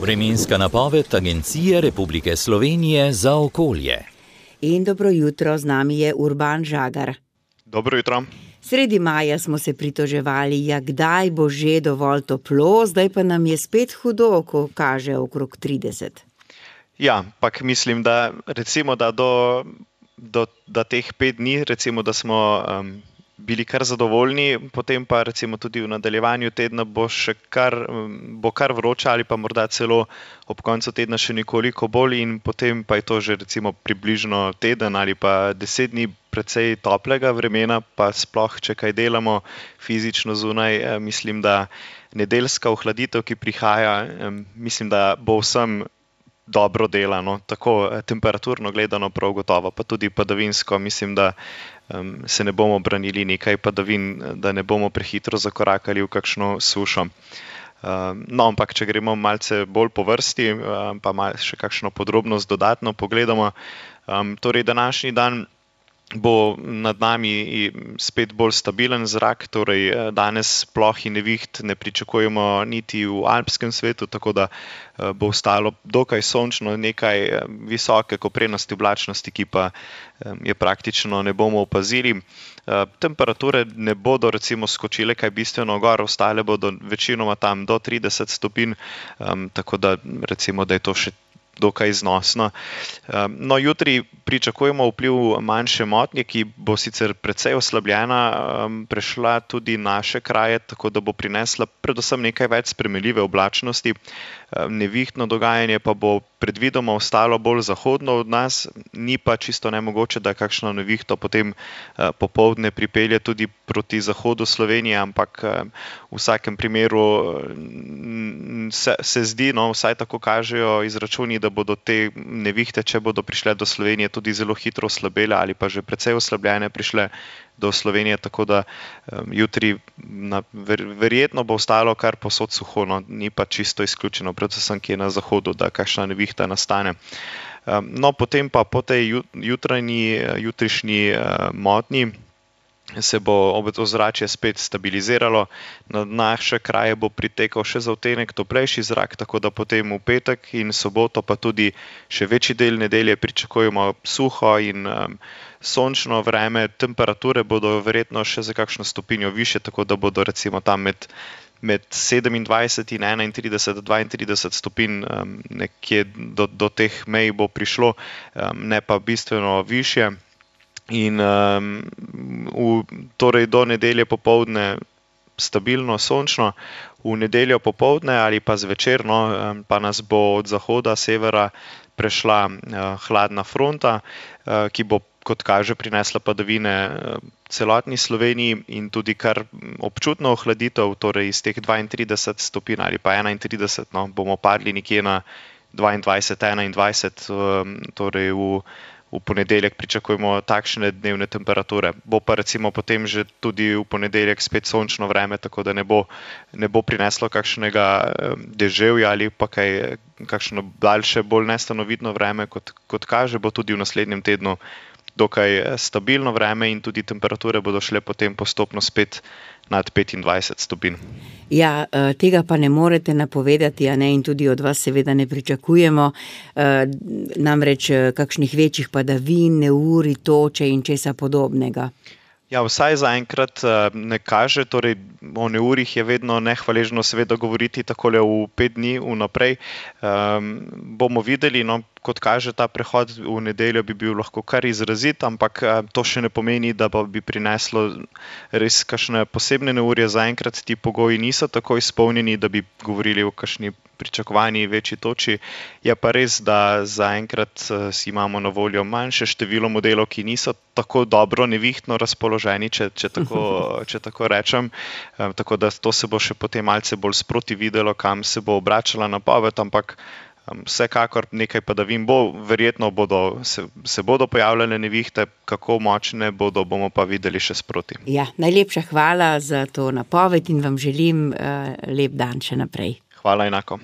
Vremenska napoved Agencije Republike Slovenije za okolje. In dobro jutro, z nami je Urban Žagar. Dobro jutro. Sredi maja smo se pritoževali, kdaj bo že dovolj toplo, zdaj pa nam je spet hudo, ko kaže okrog 30. Ja, pak mislim, da recimo, da do teh 5 dni, recimo, da smo bili kar zadovoljni, potem pa recimo tudi v nadaljevanju tedna bo kar vroče ali pa morda celo ob koncu tedna še nekoliko bolj in potem pa je to že recimo približno teden ali pa 10 dni precej toplega vremena, pa sploh, če kaj delamo fizično zunaj, mislim, da nedeljska ohladitev, ki prihaja, mislim, da bo vsem dobro delano, tako temperaturno gledano prav gotovo, pa tudi padavinsko, mislim, da se ne bomo branili nekaj padavin, da ne bomo prehitro zakorakali v kakšno sušo. No, ampak če gremo malce bolj po vrsti, pa še kakšno podrobnost dodatno pogledamo, torej današnji dan bo nad nami spet bolj stabilen zrak, torej danes ploh in neviht ne pričakujemo niti v alpskem svetu, tako da bo ostalo dokaj sončno, nekaj visoke koprenosti oblačnosti, ki pa je praktično ne bomo opazili. Temperature ne bodo recimo skočile kaj bistveno gor, ostale bodo večinoma tam do 30 stopinj, tako da recimo, da je to še dokaj znosno. No, jutri pričakujemo vpliv manjše motnje, ki bo sicer precej oslabljena, prešla tudi naše kraje, tako da bo prinesla predvsem nekaj več spremenljive oblačnosti. Nevihtno dogajanje pa bo predvidoma ostalo bolj zahodno od nas, ni pa čisto nemogoče, da kakšno nevihto potem popoldne pripelje tudi proti zahodu Slovenije, ampak v vsakem primeru se zdi, no, vsaj tako kažejo izračuni, da bodo te nevihte, če bodo prišle do Slovenije, tudi zelo hitro oslabele ali pa že precej oslabljene prišle do Slovenije, tako da jutri verjetno bo ostalo kar povsod suho, no, ni pa čisto izključeno, predvsem kje na zahodu, da kakšna nevihta nastane. No, potem pa po tej jutrišnji motnji se bo ozračje spet stabiliziralo, na naše kraje bo pritekal še za odtenek toplejši zrak, tako da potem v petek in soboto pa tudi še večji del nedelje pričakujemo suho in sončno vreme, temperature bodo verjetno še za kakšno stopinjo višje, tako da bodo recimo tam med 27 in 31, 32 stopinj, nekje do teh mej bo prišlo, ne pa bistveno višje. In torej do nedelje popoldne stabilno sončno, v nedeljo popoldne ali pa zvečer, no, pa nas bo od zahoda, severa prešla hladna fronta, ki bo, kot kaže, prinesla padavine celotni Sloveniji in tudi kar občutno ohladitev, torej iz teh 32 stopinj ali pa 31, no, bomo padli nekje na 22, 21, torej v ponedeljek pričakujemo takšne dnevne temperature. Bo pa recimo potem že tudi v ponedeljek spet sončno vreme, tako da ne bo prineslo kakšnega deževja ali pa kakšno daljše, bolj nestanovitno vreme, kot kaže, bo tudi v naslednjem tednu dokaj stabilno vreme in tudi temperature bodo šle potem postopno spet nad 25 stopinj. Ja, tega pa ne morete napovedati, a ne, in tudi od vas seveda ne pričakujemo, namreč kakšnih večjih padavin, neurij, toče in česa podobnega. Ja, vsaj zaenkrat ne kaže, torej o neurjih je vedno nehvaležno seveda govoriti takole v 5 dni vnaprej. Bomo videli, no, kot kaže, ta prehod v nedeljo bi bil lahko kar izrazit, ampak to še ne pomeni, da bi prineslo res kakšne posebne neurje. Zaenkrat ti pogoji niso tako izpolnjeni, da bi govorili o kakšni pričakovani večji toči. Je pa res, da zaenkrat imamo na voljo manjše število modelov, ki niso tako dobro nevihtno razpoloženi, če tako rečem. Tako da to se bo še potem malce bolj sproti videlo, kam se bo obračala napoved, ampak vsekakor nekaj padavin bo, verjetno se bodo pojavljale nevihte, kako močne bomo pa videli še sproti. Ja, najlepša hvala za to napoved in vam želim lep dan še naprej. Hvala enako.